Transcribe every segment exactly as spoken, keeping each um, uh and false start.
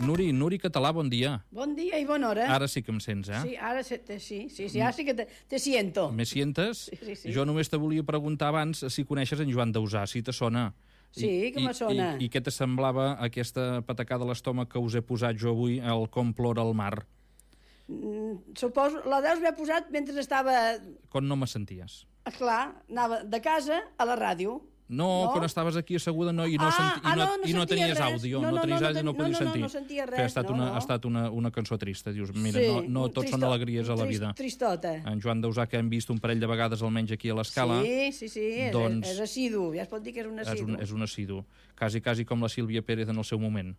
Nuri, Nuri Català, bon dia. Bon dia i bona hora. Ara sí que em sents, eh? Sí, ara sí, sí, sí, sí ara sí que te, te siento. Me sientes? Sí, sí, sí. Jo només te volia preguntar abans si coneixes en Joan Dausà, si te sona. Sí, que me sona. I, i, I què te semblava aquesta patacada a l'estómac que us he posat jo avui, el Com plora el mar? Mm, suposo, la deus haver posat mentre estava... Quan no me senties? Clar, anava de casa a la ràdio. No, no, quan estaves aquí asseguda no, i no, ah, senti, ah, i no, no, no i no tenies res. àudio, no, no, no, tenies no, àudio, no, no podies no, sentir. No, no sentia res, que ha estat, no, una, no. ha estat una, una cançó trista, dius, mira, sí, no, no tots tristot, són alegries a la vida. Tristota. En Joan Dausà, que hem vist un parell de vegades almenys aquí a l'Escala. Sí, sí, sí, doncs, és, és assidu, ja es pot dir que és un assidu. És un, és un assidu, quasi, quasi com la Sílvia Pérez en el seu moment.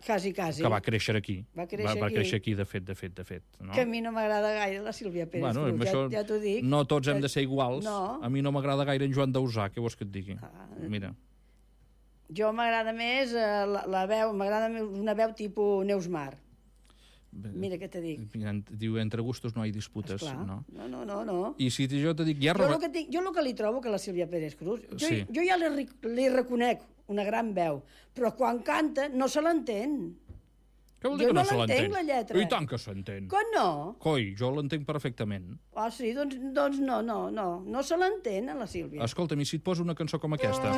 Quasi, quasi. Que va créixer aquí. Va créixer, va, va aquí. créixer aquí, de fet, de fet, de fet. No? Que a mi no m'agrada gaire la Sílvia Pérez. Bueno, Cruz, això, ja, ja t'ho dic. No tots hem de ser iguals. No. A mi no m'agrada gaire en Joan Dausà, què vols que et digui? Ah, Mira. Jo m'agrada més eh, la, la veu, m'agrada més una veu tipus Neus Mar. Mira què te dic. Diu, entre gustos no hi disputes. Esclar. No? no, no, no, no. I si jo te dic... Ja jo, roba... el que tinc, jo el que li trobo que la Sílvia Pérez Cruz, jo, sí. jo ja li, li reconec una gran veu, però quan canta no se l'entén. Què vol dir jo que no, no se l'entén? la lletra. I tant que s'entén. Que no? Coi, jo l'entenc perfectament. Ah, sí? Doncs, doncs no, no, no. No se l'entén, a la Sílvia. Escolta'm, i si et poso una cançó com aquesta?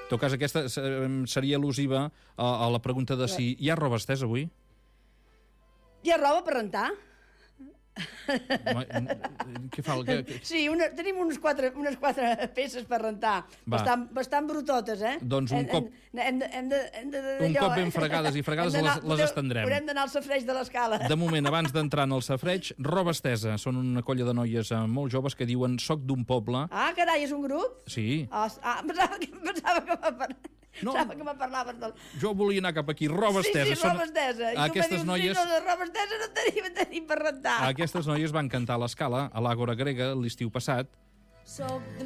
En tot cas, aquesta seria al·lusiva a, a la pregunta de si hi ha roba estesa avui? Hi ha roba per rentar? Què fa? Que, que... Sí, una, tenim unes quatre, unes quatre peces per rentar, bastant, bastant brutotes, eh? Doncs un cop... Hem de, hem de, hem de, hem de, un cop ben fregades i fregades les, les estendrem. Haurem d'anar al safreig de l'Escala. De moment, abans d'entrar en el safreig, roba estesa. Són una colla de noies molt joves que diuen soc d'un poble. Ah, carai, és un grup? Sí. Ah, ah pensava que, pensava que m'ha parlat. No, Pensava que me parlaves del... Jo volia anar cap aquí, roba estesa. Sí, sí, roba estesa. I aquestes tu noies... sí, no, de roba estesa no tenim, tenim per rentar. Aquestes noies van cantar a l'Escala, a l'Àgora Grega, l'estiu passat,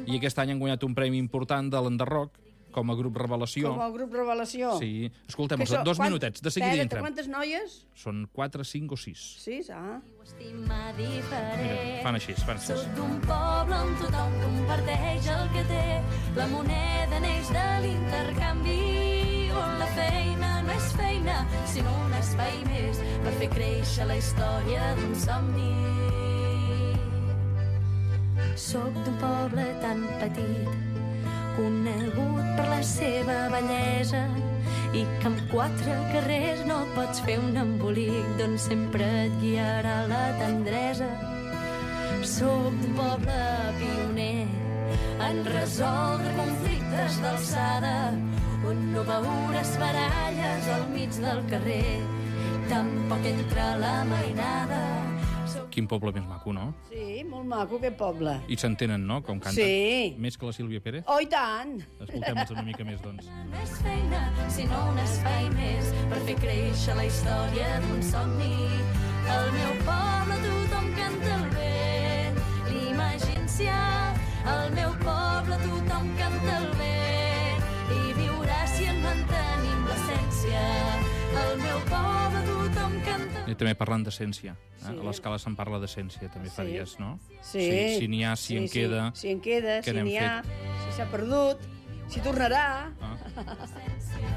i aquest any han guanyat un premi important de l'Enderroc, com a grup revelació. Com a grup revelació. Sí. Escoltem, so, dos quant... minutets, de seguida entrem. Quantes noies? Són quatre, cinc o sis. Sis, ah. Mira, fan així, fan així. Soc d'un poble on tothom comparteix el que té. La moneda neix de l'intercanvi, on la feina no és feina, sinó un espai més per fer créixer la història d'un somni. Soc d'un poble tan petit, conegut per la seva bellesa, i que amb quatre carrers no pots fer un embolic d'on sempre et guiarà la tendresa. Soc d'un poble pioner en resoldre conflictes d'alçada, on no veuràs baralles al mig del carrer, tampoc entre la mainada. Quin poble més maco, no? Sí, molt maco, aquest poble. I s'entenen, no?, com canten. Sí. Més que la Sílvia Pérez? Oh, i tant! Escoltem-los una mica més, doncs. No és feina, sinó un espai més per fer créixer la història d'un somni. Al meu poble tothom canta el vent, l'imagència. Al meu poble tothom canta el vent, i viurà si en mantenim l'essència. Al meu poble tothom canta... I també parlant d'essència. Eh? Sí. A l'Escala se'n parla d'essència, també Sí. faries, no? Sí. Si, si n'hi ha, si sí, en queda... Sí. Si en queda, què si n'hem n'hi ha, fet? si s'ha perdut, si tornarà... Ah.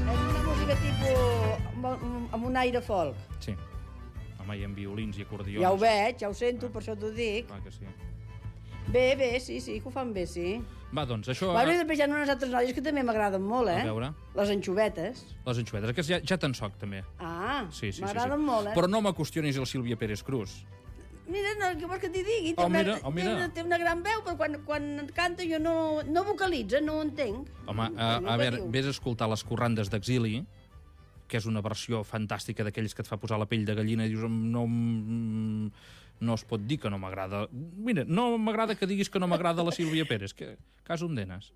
És una música tipus... amb, amb un aire folk. Sí. Home, hi ha violins i acordions. Ja ho veig, ja ho sento, per això t'ho dic. Clar que sí. Bé, bé, sí, sí, que ho fan bé, sí. Va, doncs, això... Bueno, i després hi ha unes altres noies que també m'agraden molt, eh? A veure. Les anxovetes. Les anxovetes, aquestes ja, ja te'n soc, també. Ah, Sí, sí, sí, m'agraden sí. molt, eh? Però no me qüestionis el Sílvia Pérez Cruz. Mira, no, què vols que t'hi digui? Oh, Té una- mira, oh, mira. Té, una, té una gran veu, però quan, quan canta jo no, no vocalitza, no ho entenc. Home, No, a, no a què veure, diu? vés a escoltar les corrandes d'Exili, que és una versió fantàstica d'aquells que et fa posar la pell de gallina i dius, no, mm, no es pot dir que no m'agrada. Mira, no m'agrada que diguis que no m'agrada la Sílvia Pérez. Que cas on denes?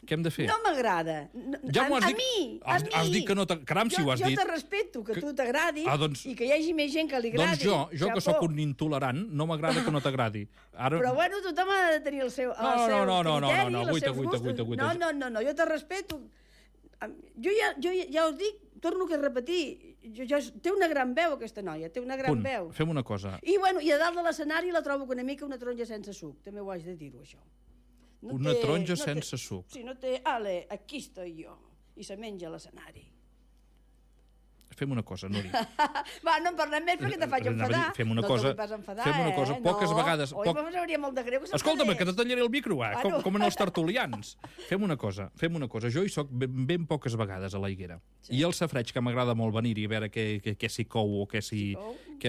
Què hem de fer? No m'agrada. No, Ja m'ho has a, dit- a mi, has- a mi. has dit que no t'ag- caram, si jo, ho has jo dit. Jo te respeto, que, Que- tu t'agradi Ah, doncs- i que hi hagi més gent que li agradi. Doncs jo, jo que Xapó. sóc un intolerant, no m'agrada que no t'agradi. Ara... Però bueno, tothom ha de tenir el seu, el No, no, seu no, no, no, criteri, no, no, els guaita, seus guaita, gustos. guaita, guaita. No, no, no, no, jo te respeto. jo ja, jo ja, ja us dic, torno a repetir, jo, jo, té una gran veu aquesta noia, té una gran Punt. veu. Fem una cosa. I, bueno, I a dalt de l'escenari la trobo una mica una taronja sense suc, també ho haig de dir-ho, això. No una té, taronja no sense té, suc. Sí, no té, ale, aquí estoy jo, i se menja a l'escenari. Fem una cosa, Núria. Va, no en parlem més perquè te faig enfadar. Fem una no cosa, enfadar, fem una cosa, eh? poques no. vegades... Oi, Poc... em sabria molt de greu que s'enfadés. Escolta'm, que te tallaré el micro, eh? Bueno. com, com en els tertulians. Fem una cosa, fem una cosa. Jo hi soc ben, ben poques vegades a la Higuera. Sí. I el safareig, que m'agrada molt venir-hi a veure què, què, què s'hi cou o què s'hi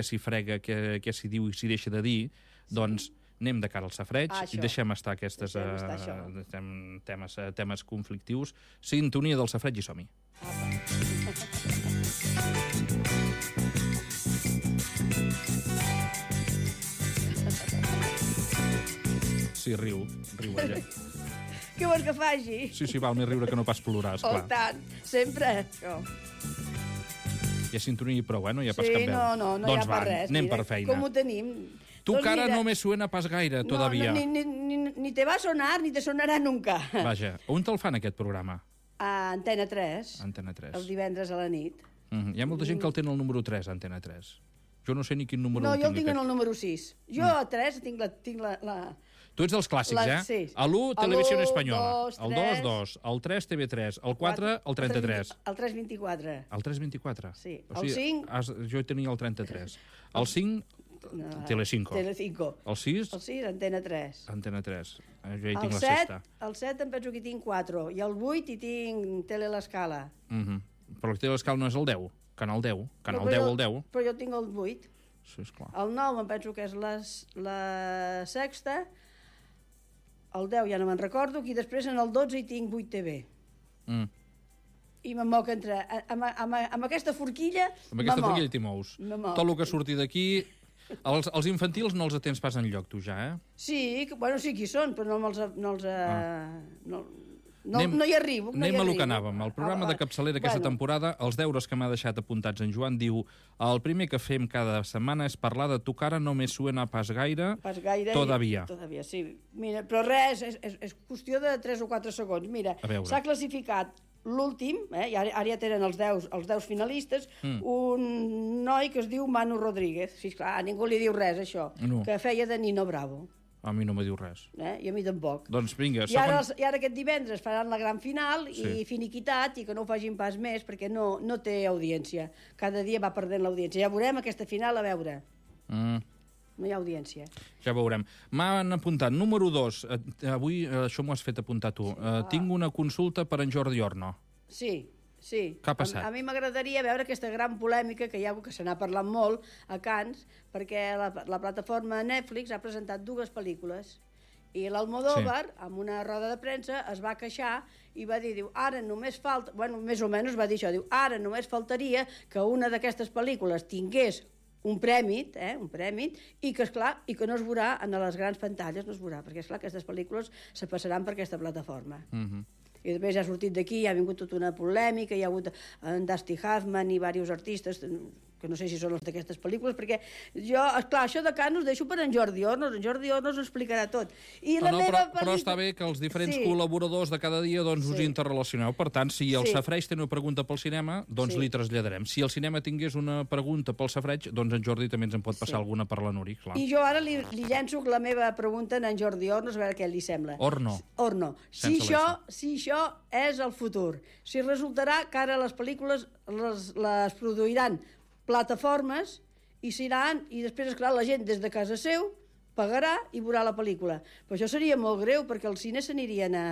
si frega, què, què s'hi diu i s'hi deixa de dir, sí. Doncs anem de cara al safareig ah, i deixem estar aquestes deixem estar uh, temes, uh, temes conflictius. Sintonia del safareig i som-hi. Sí, riu, riu ella. Què vols que faci? Sí, sí, val més riure que no pas plorar, esclar. Oh, tant, sempre, això. Hi ha sintonia i prou, eh? No hi ha pas sí, cap veu. no, no, no doncs hi ha pas res. Anem mira, per feina. Com ho tenim? Tu doncs cara mira, no me suena pas gaire, todavía. No, ni, ni, ni, ni te va a sonar, ni te sonarà nunca. Vaja, on te'l fan, aquest programa? A Antena tres. Antena tres. Els divendres a la nit. Mm -hmm. Hi ha molta gent que el té en el número tres, Antena tres. Jo no sé ni quin número no, el tinc. No, jo el tinc aquest. en el número sis. Jo mm. a tres tinc la... Tinc la, la... Tu ets dels clàssics, la, eh? Sí. A l'u, Televisió Espanyola. Dos, el dos, dos. El tres, T V tres. El quatre, el trenta-tres. El tres vint-i-quatre. El tres vint-i-quatre? Sí. O sigui, el cinc... Has, jo tenia el trenta-tres. El cinc, no, Telecinco. Telecinco. El sis? El sis, Antena tres. Antena tres. Jo hi tinc el la set, sexta. El set em penso que hi tinc quatre. I el vuit hi tinc Tele l'Escala. Mm -hmm. Però el Tele l'Escala no és el deu? Canal deu? Canal no, deu, jo, el deu? Però jo tinc el vuit. Sí, esclar. El nou em penso que és les, la sexta. El deu ja no me'n recordo. I després en el dotze hi tinc vuit T V. Mm. I me'n moc entre... Amb, amb, amb aquesta forquilla Amb aquesta forquilla t'hi mous. Tot el que surti d'aquí... Els, els infantils no els atens pas enlloc, tu, ja, eh? Sí, que, bueno, sí que hi són, però no me'ls... No, els, ah. no, no, anem, no hi arribo. No anem hi a arribo. lo que anàvem. El programa ah, de capçalera aquesta bueno. temporada, els deures que m'ha deixat apuntats en Joan, diu: el primer que fem cada setmana és parlar de tu cara no me suena pas gaire, pas gaire todavía. I, todavía, sí. Mira, però res, és, és, és qüestió de tres o quatre segons. Mira, s'ha classificat l'últim, eh, i ara, ara ja tenen els deu, els deu finalistes, mm. un noi que es diu Manu Rodríguez. Sí, clar, ningú li diu res, això. No. Que feia de Nino Bravo. A mi no me diu res. Eh? I a mi tampoc. Doncs vinga, I ara, I ara aquest divendres faran la gran final sí. i finiquitat, i que no ho facin pas més perquè no, no té audiència. Cada dia va perdent l'audiència. Ja veurem aquesta final, a veure. Mm. No hi ha audiència. Ja veurem. M'han apuntat. Número dos. Avui això m'ho has fet apuntar tu. Sí, uh, tinc una consulta per en Jordi Orno. Sí, sí. Què ha passat? A, a mi m'agradaria veure aquesta gran polèmica que hi ha, que se n'ha parlat molt a Cannes, perquè la, la plataforma Netflix ha presentat dues pel·lícules. I l'Almodóvar, sí. amb una roda de premsa, es va queixar i va dir, diu, ara només falta... Bueno, més o menys va dir això, diu, ara només faltaria que una d'aquestes pel·lícules tingués un prèmit, eh, un prèmit, i que, esclar, i que no es veurà en les grans pantalles, no es veurà, perquè, esclar, aquestes pel·lícules se passaran per aquesta plataforma. Mhm. Mm I després ja ha sortit d'aquí, ha vingut tota una polèmica, hi ha hagut en Dusty Hoffman i diversos artistes, que no sé si són els d'aquestes pel·lícules, perquè jo, esclar, això de Cannes ho deixo per en Jordi Ornos, en Jordi Ornos ho explicarà tot. I no, la no, meva però, pel·lícula... però està bé que els diferents sí. col·laboradors de cada dia doncs, sí. us interrelacioneu. Per tant, si el sí. Safreig té una pregunta pel cinema, doncs sí. li traslladarem. Si el cinema tingués una pregunta pel Safreig, doncs en Jordi també ens en pot passar sí. alguna per la Nuri, clar. I jo ara li, li llenço la meva pregunta a en Jordi Ornos, a veure què li sembla. Orno. Orno. Si això, si això és el futur, si resultarà que ara les pel·lícules les, les produiran plataformes i seran, i després, esclar, la gent des de casa seu pagarà i veurà la pel·lícula. Però això seria molt greu, perquè els cines s'anirien a...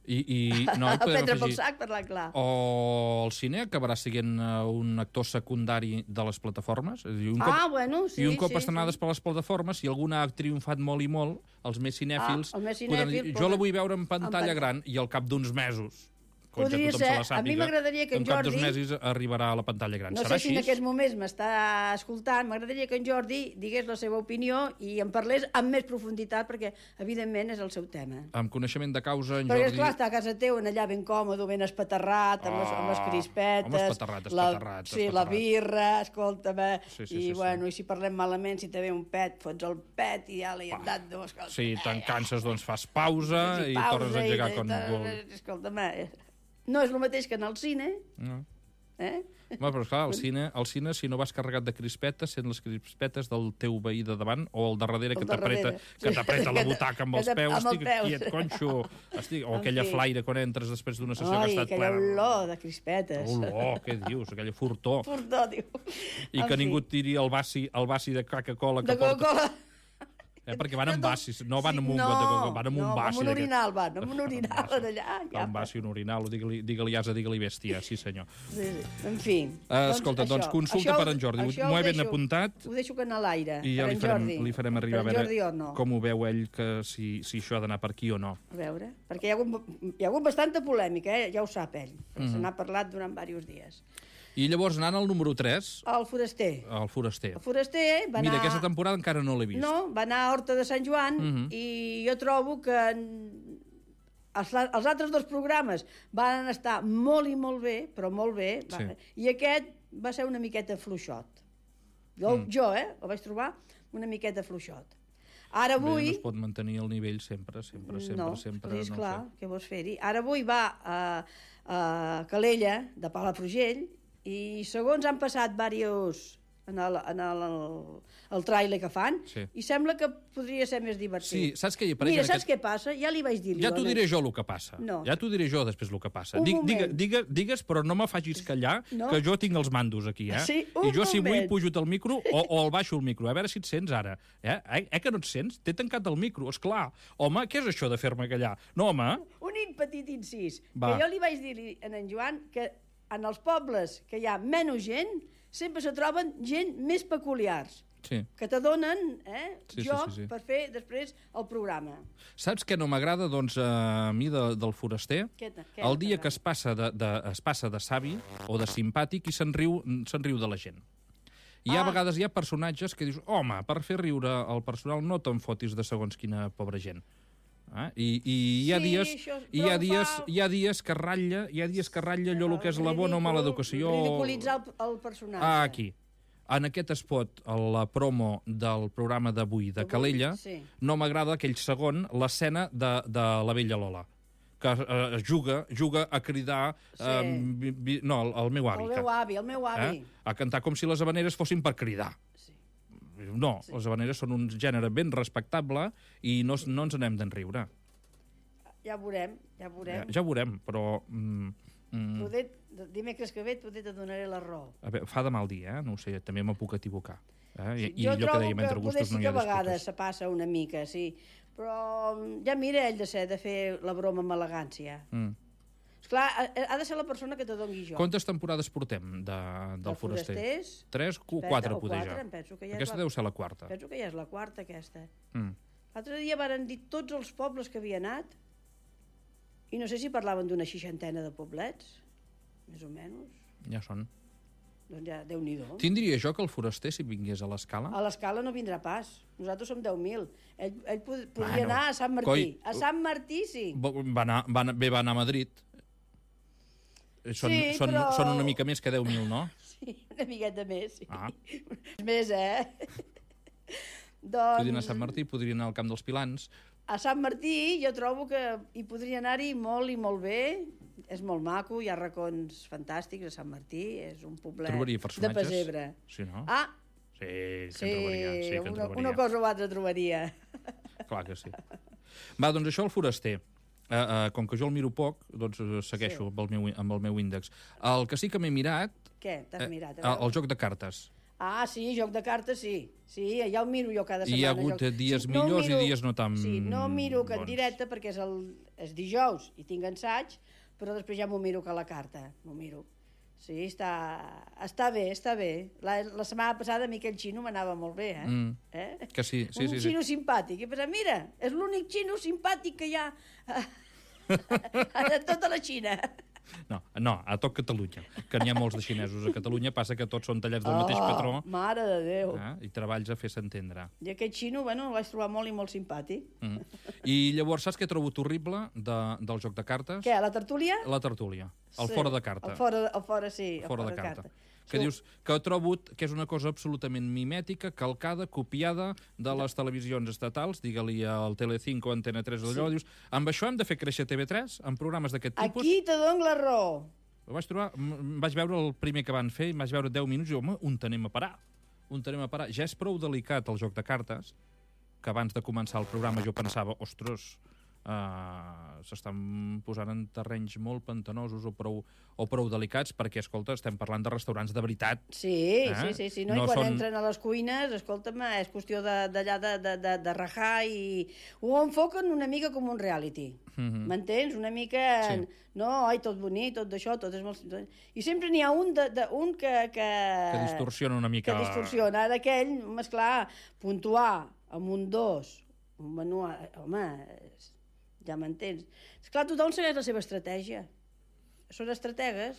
I, i, no, a prendre pel sac, parlar clar. O el cine acabarà sent un actor secundari de les plataformes. És a dir, un cop, ah, bueno, sí, I un cop sí, estrenades sí. per les plataformes, si alguna ha triomfat molt i molt, els més cinèfils... Ah, el més cinèfil, dir, jo la vull veure en pantalla en gran i al cap d'uns mesos... Podria ser. Se sàpiga, a mi m'agradaria que en, en Jordi... En cap dos mesos arribarà a la pantalla gran. No Serà sé si així? en aquests moments m'està escoltant. M'agradaria que en Jordi digués la seva opinió i en parlés amb més profunditat, perquè, evidentment, és el seu tema. Amb coneixement de causa, en perquè, Jordi... Perquè, esclar, està a casa teu, allà ben còmode, ben espaterrat, amb, oh, les, amb les crispetes... Home, espaterrat, espaterrat. La, sí, la birra, escolta'm... Sí, sí, I, sí, bueno, sí. i si parlem malament, si te ve un pet, fots el pet i ja l'hi hem dat dos... Sí, te'n canses, doncs fas pausa i, i pausa, tornes a engegar quan vol. Escolta'm... no és el mateix que anar al cine. No. Eh? Home, però esclar, al cine, al cine, si no vas carregat de crispetes, sent les crispetes del teu veí de davant o el darrere El que t'apreta que t'apreta la butaca amb els peus, estic quiet, conxo, estic, o aquella flaire quan entres després d'una sessió que ha estat plena. Ai, aquella olor de crispetes. Olor, què dius? Aquella furtor. Furtor, diu. I que ningú et tiri el basi, el basi de Coca-Cola que de porta. Coca-Cola. Eh, perquè van amb basis, no van amb un no, got de coca, van amb un no, basi. amb un orinal van, amb un orinal d'allà. Ja, un basi, un orinal, digue-li digue asa, digue-li bèstia, sí senyor. Sí, sí. En fi. Uh, escolta, doncs, doncs consulta això, per en Jordi, m'ho he ben apuntat. Ho deixo que anar a l'aire, i ja per li en farem, Jordi. li farem arribar per a veure Jordi, no. com ho veu ell, que si, si això ha d'anar per aquí o no. A veure, perquè hi ha hagut, hi ha hagut bastanta polèmica, eh? Ja ho sap ell, perquè Mm-hmm. se n'ha parlat durant diversos dies. I llavors, anant al número tres... El foraster. El foraster. El foraster va anar... Mira, aquesta temporada encara no l'he vist. No, va anar a Horta de Sant Joan Mhm. i jo trobo que els, els altres dos programes van estar molt i molt bé, però molt bé, va, Sí. i aquest va ser una miqueta fluixot. Jo, Mm. jo, eh, el vaig trobar una miqueta fluixot. Ara avui... Bé, no es pot mantenir el nivell sempre, sempre, sempre, no, sempre. No, és no clar, sé. què vols fer-hi? Ara avui va a, a Calella, de Palafrugell, i segons han passat diversos en el, en el, el, el tràiler que fan, Sí. i sembla que podria ser més divertit. Sí, saps què hi apareix? Mira, en saps aquest... què passa? Ja li vaig dir. Ja t'ho diré jo el que passa. No. Ja t'ho diré jo després el que passa. Un Dic, moment. digue, digue, digues, però no me facis callar, No. que jo tinc els mandos aquí, eh? Sí, un I jo, si vull, moment. pujo el micro o, o el baixo el micro. A veure si et sents ara. Eh, eh, eh que no et sents? T'he tancat el micro, és clar. Home, què és això de fer-me callar? No, home. Un petit incís, Va. que jo li vaig dir a en Joan que en els pobles que hi ha menys gent, sempre se troben gent més peculiars, Sí. que t'adonen eh, Sí, sí, joc sí, sí. per fer després el programa. Saps què no m'agrada, doncs, a mi de, del foraster? Què t- què El no dia t'agrada? que es passa de, de, es passa de savi o de simpàtic i se'n riu, se'n riu de la gent. I hi ha Ah. vegades hi ha personatges que dius, home, per fer riure el personal no te'n fotis de segons quina pobra gent. Eh? I, i hi ha Sí, dies, això- i hi però ha ho dies, fa- hi ha dies que ratlla, hi ha dies que ratlla allò el que és la bona o mala educació. Ridiculitzar el, el personatge. Ah, aquí. En aquest spot, a la promo del programa d'avui de D'avui, Calella, sí. no m'agrada aquell segon, l'escena de, de la vella Lola, que eh, juga, juga a cridar... Sí. Eh, vi, vi, no, el, el meu avi. El meu avi, el meu avi. Eh? A cantar com si les habaneres fossin per cridar. Sí. No, sí. Les habaneres són un gènere ben respectable i no, no ens n'hem d'enriure. Ja ho veurem, ja ho Ja, veurem. ja ho veurem, però... Mm, mm, Poder, dimecres que ve poder te donaré la raó. a veure, fa de mal dia, eh? No ho sé, també me puc equivocar. Eh? I, Sí, I jo allò que trobo dèiem, entre poder gustos sí no hi que ha a vegades disputes. se passa una mica, sí. Però ja mira ell de ser, de fer la broma amb elegància. Mm. Esclar, ha, ha de ser la persona que te doni jo. Quantes temporades portem de, del De foraster? forasters? Tres, cu- Espera, quatre, o poder quatre, ja. em penso que ja és Aquesta la- deu ser la quarta. Penso que ja és la quarta, aquesta. Mm. L'altre dia varen dir tots els pobles que havia anat i no sé si parlaven d'una seixantena de poblets, més o menys. Ja són. Doncs ja, Déu-n'hi-do. Tindria jo que el foraster, si vingués a l'escala... A l'escala no vindrà pas. Nosaltres som deu mil. Ell, ell pod podria Bueno, anar a Sant Martí. coi, A Sant Martí, sí. Va anar, va anar, bé, va anar a Madrid. Són, Sí, són, però- són una mica més que deu mil, no? Sí, una miqueta més, sí. Ah. Més, eh? Podria anar a doncs, Sant Martí, podria anar al Camp dels Pilans. a Sant Martí jo trobo que hi podria anar-hi molt i molt bé. És molt maco, hi ha racons fantàstics a Sant Martí. És un poblet Trobaria de personatges? pessebre. Sí, no? Ah, Sí, que sí, en trobaria. Sí, que en una, trobaria. una cosa o altra trobaria. Clar que sí. Va, doncs això el foraster. Uh, uh, com que jo el miro poc, doncs uh, segueixo Sí. amb, el meu, amb el meu índex. El que sí que m'he mirat... Què, t'has eh, mirat? A el, veure? el joc de cartes. Ah, sí, joc de cartes, sí. Sí, ja el miro jo cada I setmana. hi ha hagut joc. dies sí, millors i dies no tan Sí, no miro que en bons. directe perquè és, el, és dijous i tinc ensaig, però després ja m'ho miro que a la carta. M'ho miro. Sí, està, està bé, està bé. La, la setmana passada a mi aquell xino m'anava molt bé, eh? Mm. eh? Que sí, sí, Un sí. sí. xino simpàtic. I pensava, mira, és l'únic xino simpàtic que hi ha a tota la Xina. No, no, a tot Catalunya, que n'hi ha molts de xinesos a Catalunya, passa que tots són tallats del mateix patró Oh, mare de Déu. eh, i treballs a fer-se entendre. I aquest xino, bueno, el vaig trobar molt i molt simpàtic. Mm. I llavors, saps què trobo horrible de, del joc de cartes? Què, a la tertúlia? La tertúlia, el Sí, fora de carta. El fora, el fora sí, el fora de carta. que dius que trobo que és una cosa absolutament mimètica, calcada, copiada de les televisions estatals, digue-li al Telecinco, Antena tres, allò, sí. Dius, amb això hem de fer créixer T V tres, amb programes d'aquest tipus? Aquí te dono la raó. Vaig trobar, vaig veure el primer que van fer, vaig veure deu minuts i, home, on t'anem a parar? On t'anem a parar? Ja és prou delicat el joc de cartes, que abans de començar el programa jo pensava, ostres, uh, s'estan posant en terrenys molt pantanosos o prou, o prou delicats, perquè, escolta, estem parlant de restaurants de veritat. Sí, eh? sí, sí, sí. No? No I quan són... entren a les cuines, escolta'm, és qüestió d'allà de, de, de, de rajar i ho enfoquen una mica com un reality. M'entens? Mm -hmm. Una mica... Sí. No, ai, tot bonic, tot d'això, tot és molt... I sempre n'hi ha un, de, de, un que, que... Que distorsiona una mica... Que distorsiona. Ara aquell, esclar, puntuar amb un dos, un menú... Home, ja m'entens. Esclar, tothom segueix la seva estratègia. Són estrategues.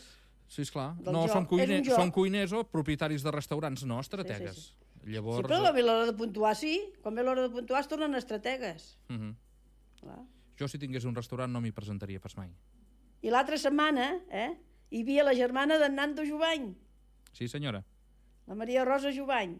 Sí, esclar. No, són, cuine... són cuiners o propietaris de restaurants, no estratègues. Sí, sí, sí. Llavors... Sí, però a l'hora de puntuar, sí. Quan ve l'hora de puntuar es tornen estrategues. Uh -huh. Clar. Jo, si tingués un restaurant, no m'hi presentaria pas mai. I l'altra setmana, eh, hi havia la germana d'en Nando Jubany. Sí, senyora. La Maria Rosa Jubany,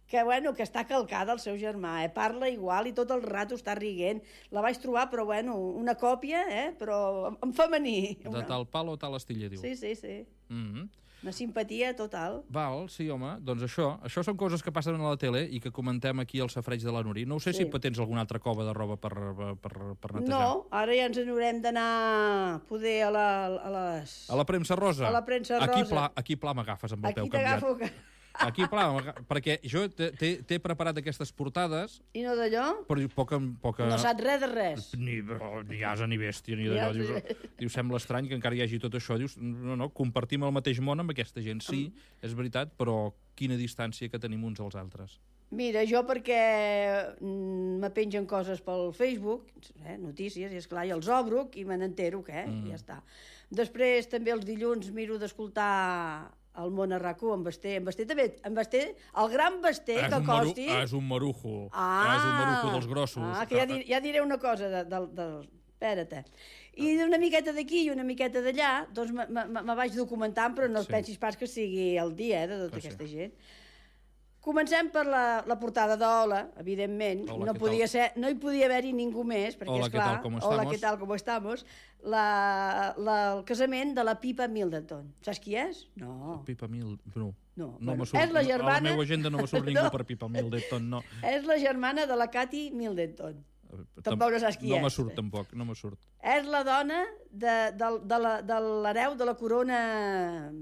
que, bueno, que està calcada el seu germà, eh? Parla igual i tot el rato està riguent. La vaig trobar, però, bueno, una còpia, eh? Però en femení. De una... tal pal o tal estilla, diu. Sí, sí, sí. Mm -hmm. Una simpatia total. Val, sí, home. Doncs això, això són coses que passen a la tele i que comentem aquí al safareig de la Nuri. No ho sé sí. si tens alguna altra cova de roba per, per, per netejar. No, ara ja ens n'haurem d'anar poder a, la, a les... A la premsa rosa. A la premsa rosa. Aquí pla, aquí pla m'agafes amb el aquí peu canviat. Que... Aquí, pla, perquè jo t'he preparat aquestes portades... I no d'allò? Però poca, poca... No saps res de res. Ni, ni asa ni bèstia, ni d'allò. Dius, dius, sembla estrany que encara hi hagi tot això. Dius, no, no, compartim el mateix món amb aquesta gent. Sí, és veritat, però quina distància que tenim uns als altres. Mira, jo perquè me pengen coses pel Facebook, eh, notícies, i esclar, i els obro i me n'entero, que eh, mm. ja està. Després també els dilluns miro d'escoltar... el món a RAC u, en Basté. En Basté també, en Basté, el gran Basté, és que costi... Maru, és un marujo. Ah, és un marujo dels grossos. Ah, que ja, dir, ja diré una cosa de, de, de, espera't. I una miqueta d'aquí i una miqueta d'allà, doncs me, me, me vaig documentant, però no sí. pensis pas que sigui el dia eh, de tota que aquesta sí. gent. Comencem per la, la portada d'Hola, evidentment. Hola, no, podia ser, no hi podia haver-hi ningú més, perquè, Hola, esclar, què tal, com Hola, què tal, com estamos? La, la, el casament de la Pipa Middleton. Saps qui és? No. Pipa Middleton, no. No, no bueno, surt, és la germana... A la meva agenda no me surt ningú no. per Pipa Middleton, no. És la germana de la Katy Middleton. Tampoc no saps qui no és. No me surt, tampoc, no me surt. És la dona de, de, de, de l'hereu de la corona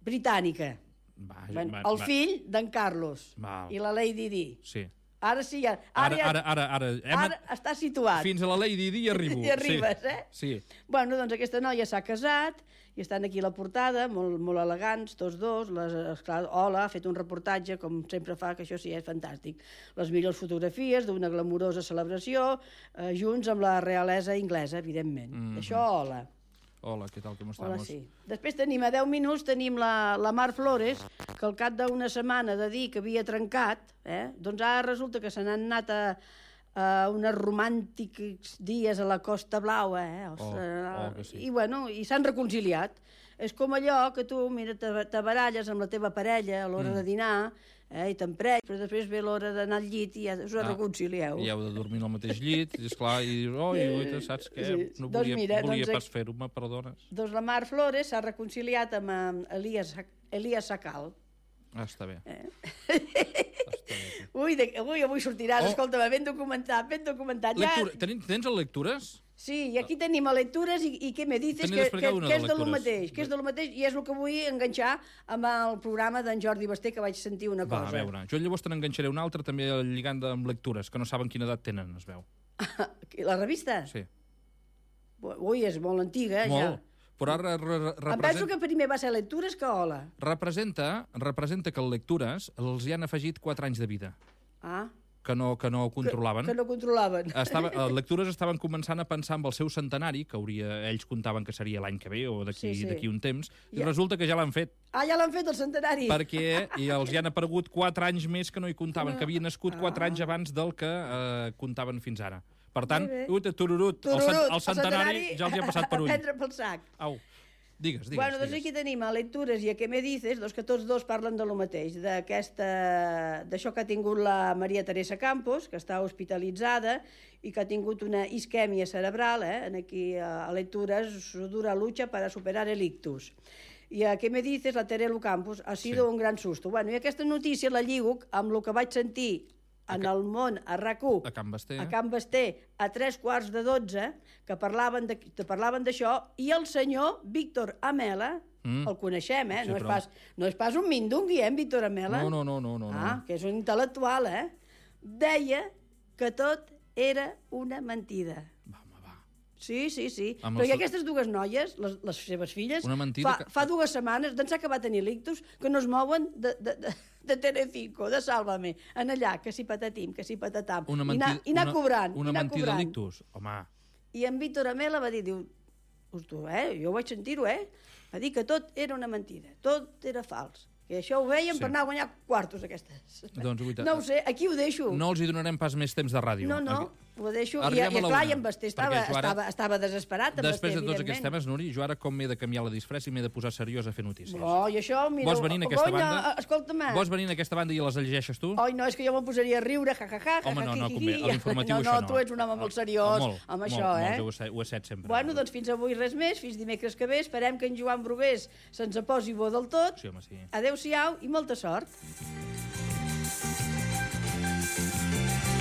britànica. Va, bueno, va, el va. fill d'en Carlos Val. i la Lady Di. Sí. Ara sí, ara, ara, ara, ara, ara, hem... ara està situat. Fins a la Lady Di arribo. I arribes, sí. eh? Sí. Bueno, doncs aquesta noia s'ha casat i estan aquí a la portada, molt, molt elegants, tots dos. Les, esclar, Hola ha fet un reportatge, com sempre fa, que això sí, és fantàstic. Les millors fotografies d'una glamurosa celebració, eh, junts amb la realesa inglesa, evidentment. Mm -hmm. Això, Hola. Hola, què tal, com estamos? Hola, sí. Després tenim, a deu minuts, tenim la, la Mar Flores, que al cap d'una setmana de dir que havia trencat, eh, doncs ara resulta que se n'han anat a, a uns romàntics dies a la Costa Blaua, eh? Els, oh, uh, oh, que sí. I, bueno, i s'han reconciliat. És com allò que tu, mira, te, te baralles amb la teva parella a l'hora mm. de dinar, eh, i t'empreny, però després ve l'hora d'anar al llit i ja us ah, reconcilieu. I heu de dormir al mateix llit, i esclar, i dius, oh, i saps què? Sí. No volia, doncs mira, volia doncs, pas fer-ho, me perdones. Doncs la Mar Flores s'ha reconciliat amb Elias, Elias Sacal. Ah, està bé. Eh? Està bé. Ui, de, ui, avui sortiràs, oh. escolta, ben documentat, ben documentat. Lectura, ja... Tens, tens el lectures? Sí, i aquí tenim a lectures i, i què me dices que, que, que és de lo mateix, que és de lo mateix i és el que vull enganxar amb el programa d'en Jordi Basté, que vaig sentir una Va, cosa. Va, a veure, jo llavors te n'enganxaré una altra també lligant amb lectures, que no saben quina edat tenen, es veu. La revista? Sí. Ui, és molt antiga, molt. ja. Però ara representa... Em penso que primer va ser lectures que Hola. Representa, representa que el lectures els hi han afegit quatre anys de vida. Ah. Que no, que no controlaven. Que, que no controlaven. Estava, les lectures estaven començant a pensar amb el seu centenari, que hauria, ells comptaven que seria l'any que ve o d'aquí sí, sí. un temps, i ja. resulta que ja l'han fet. Ah, ja l'han fet, el centenari? Perquè i els hi han aparegut quatre anys més que no hi comptaven, no. que havien nascut ah. quatre anys abans del que eh, comptaven fins ara. Per tant, ut, tururut, tururut, el, cent, el, centenari el centenari ja els hi ha passat per ull. A prendre pel sac. Au. Digues, digues. Bueno, doncs digues. aquí tenim a Lectures i a Què me dices, doncs que tots dos parlen de lo mateix, d'això que ha tingut la Maria Teresa Campos, que està hospitalitzada i que ha tingut una isquèmia cerebral, eh? Aquí a Lectures, su dura lucha para superar el ictus. I a Què me dices, la Terelu Campos, ha sido sí. un gran susto. Bueno, i aquesta notícia la lligo amb el que vaig sentir en el món, a RAC u, a Can Basté, a Can Basté, a tres quarts de dotze, que parlaven d'això, i el senyor Víctor Amela, mm. el coneixem, eh? Sí, no, és pas, no és pas un mindungui, eh, en Víctor Amela? No, no, no, no, no. Ah, que és un intel·lectual, eh? Deia que tot era una mentida. Va, home, va. Sí, sí, sí. Amb Però el... i aquestes dues noies, les, les seves filles, fa, que... fa dues setmanes, d'ençà que va tenir l'ictus, que no es mouen de, de, de, de Telecinco, de Sálvame, en allà, que si patatim, que si patatam, una i mentida, anar, i anar una, cobrant. Una anar mentida cobrant. d'ictus, home. I en Víctor Amela va dir, diu, tu, eh, jo vaig sentir-ho, eh? Va dir que tot era una mentida, tot era fals. Que això ho veiem sí. per anar a guanyar quartos, aquestes. Doncs, guita... No ho sé, aquí ho deixo. No els hi donarem pas més temps de ràdio. No, no, aquí... ho deixo. I, i clar, i en Basté estava, ara, estava, estava desesperat. Després Basté, de tots aquests temes, Nuri, jo ara com m'he de canviar la disfressa i m'he de posar seriós a fer notícies. Oh, i això, mira... Vols venir en aquesta Gonya, banda? Escolta'm. Vols venir en aquesta banda i les llegeixes tu? Oi, no, és que jo me'n posaria a riure, ja, ja, ja, home, no, no, convé. A l'informatiu no, això no. No, tu ets un home molt seriós molt, amb molt, això, molt, eh? Molt, ho he set sempre. Bueno, doncs fins avui res més, fins dimecres que ve. Esperem que en Joan Brugués se'ns posi bo del tot. Sí, home, sí. Adéu-siau i molta sort.